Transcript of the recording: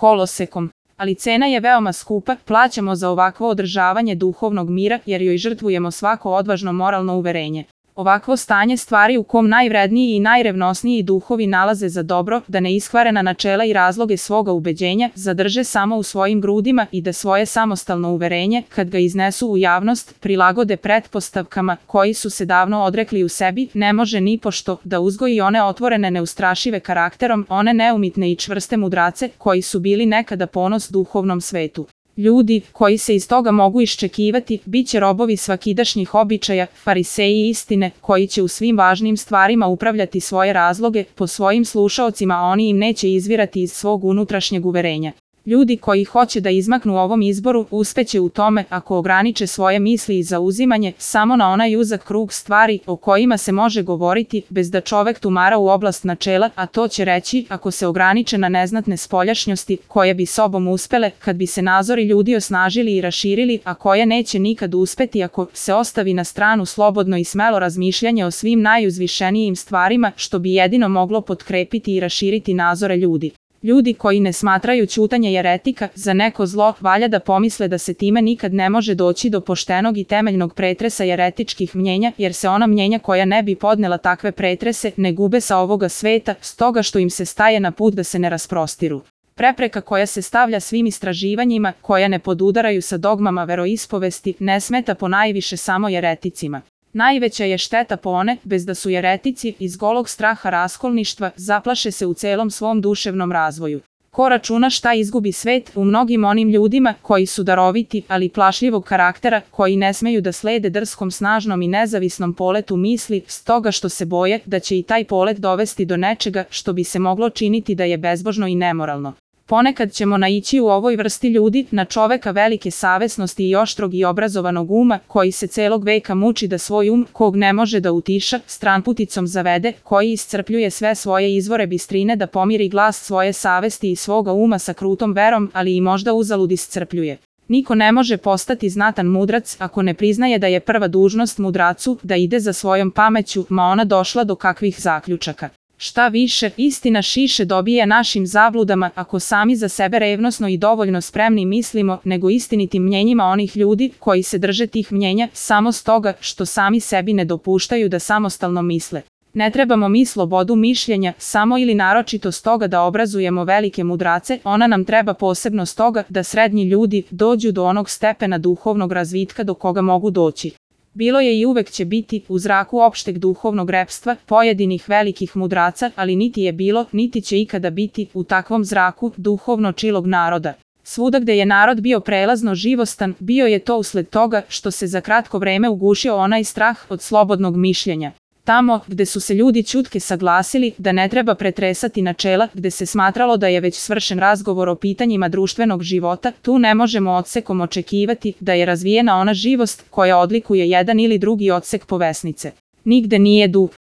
kolosekom. Ali cena je veoma skupa, plaćamo za ovakvo održavanje duhovnog mira jer joj žrtvujemo svako odvažno moralno uverenje. Ovakvo stanje stvari u kom najvredniji i najrevnosniji duhovi nalaze za dobro da neiskvarena načela i razloge svoga ubeđenja zadrže samo u svojim grudima i da svoje samostalno uverenje, kad ga iznesu u javnost, prilagode pretpostavkama koji su se davno odrekli u sebi, ne može nipošto da uzgoji one otvorene neustrašive karakterom, one neumitne i čvrste mudrace koji su bili nekada ponos duhovnom svetu. Ljudi, koji se iz toga mogu iščekivati, bit će robovi svakidašnjih običaja, fariseji istine, koji će u svim važnim stvarima upravljati svoje razloge, po svojim slušaocima a oni im neće izvirati iz svog unutrašnjeg uverenja. Ljudi koji hoće da izmaknu ovom izboru, uspeće u tome ako ograniče svoje misli i zauzimanje samo na onaj uzak krug stvari o kojima se može govoriti, bez da čovek tumara u oblast načela, a to će reći ako se ograniče na neznatne spoljašnjosti, koje bi sobom uspele, kad bi se nazori ljudi osnažili i raširili, a koje neće nikad uspeti ako se ostavi na stranu slobodno i smelo razmišljanje o svim najuzvišenijim stvarima, što bi jedino moglo potkrepiti i raširiti nazore ljudi. Ljudi koji ne smatraju ćutanje jeretika za neko zlo, valja da pomisle da se time nikad ne može doći do poštenog i temeljnog pretresa jeretičkih mnjenja, jer se ona mnjenja koja ne bi podnela takve pretrese ne gube sa ovoga sveta, stoga što im se staje na put da se ne rasprostiru. Prepreka koja se stavlja svim istraživanjima, koja ne podudaraju sa dogmama veroispovesti, ne smeta ponajviše samo jereticima. Najveća je šteta po one, bez da su jeretici, iz golog straha raskolništva, zaplaše se u celom svom duševnom razvoju. Ko računa šta izgubi svet u mnogim onim ljudima koji su daroviti, ali plašljivog karaktera, koji ne smeju da slede drskom, snažnom i nezavisnom poletu misli, stoga što se boje da će i taj polet dovesti do nečega što bi se moglo činiti da je bezbožno i nemoralno. Ponekad ćemo naići u ovoj vrsti ljudi na čoveka velike savesnosti i oštrog i obrazovanog uma, koji se celog veka muči da svoj kog ne može da utiša, stranputicom zavede, koji iscrpljuje sve svoje izvore bistrine da pomiri glas svoje savesti i svoga uma sa krutom verom, ali i možda uzalud iscrpljuje. Niko ne može postati znatan mudrac ako ne priznaje da je prva dužnost mudracu da ide za svojom pameću, ma ona došla do kakvih zaključaka. Šta više, istina šiše dobije našim zabludama ako sami za sebe revnosno i dovoljno spremni mislimo, nego istinitim mnjenjima onih ljudi koji se drže tih mnjenja samo stoga što sami sebi ne dopuštaju da samostalno misle. Ne trebamo mi slobodu mišljenja samo ili naročito stoga da obrazujemo velike mudrace, ona nam treba posebno stoga da srednji ljudi dođu do onog stepena duhovnog razvitka do koga mogu doći. Bilo je i uvek će biti, u zraku opšteg duhovnog repstva, pojedinih velikih mudraca, ali niti je bilo, niti će ikada biti, u takvom zraku, duhovno čilog naroda. Svuda gde je narod bio prelazno živostan, bio je to usled toga što se za kratko vreme ugušio onaj strah od slobodnog mišljenja. Tamo, gde su se ljudi ćutke saglasili da ne treba pretresati načela, gde se smatralo da je već svršen razgovor o pitanjima društvenog života, tu ne možemo odsekom očekivati da je razvijena ona živost koja odlikuje jedan ili drugi odsek povesnice. Nigde nije